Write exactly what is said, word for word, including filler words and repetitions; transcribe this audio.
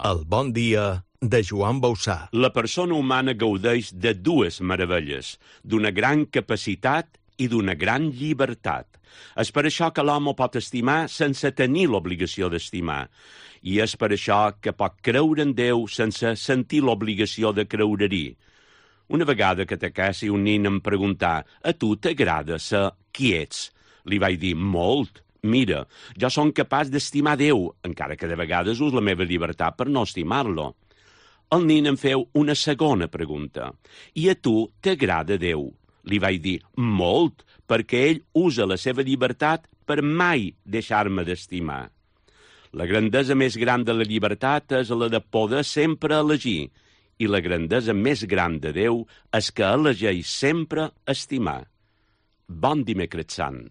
El bon dia de Joan Bausà. La persona humana gaudeix de dues meravelles, d'una gran capacitat i d'una gran llibertat. És per això que l'home pot estimar sense tenir l'obligació d'estimar. I és per això que pot creure en Déu sense sentir l'obligació de creure-hi. Una vegada que t'acassi un nin em preguntar «A tu t'agrada ser qui ets?» Li vaig dir «Molt. Mira, jo som capaç d'estimar Déu, encara que de vegades us la meva llibertat per no estimar-lo». El nin em feu una segona pregunta. «I a tu t'agrada Déu?» Li vaig dir «Molt, perquè ell usa la seva llibertat per mai deixar-me d'estimar». La grandesa més gran de la llibertat és la de poder sempre elegir, i la grandesa més gran de Déu és que elegeix sempre estimar. Bon dimecres sant.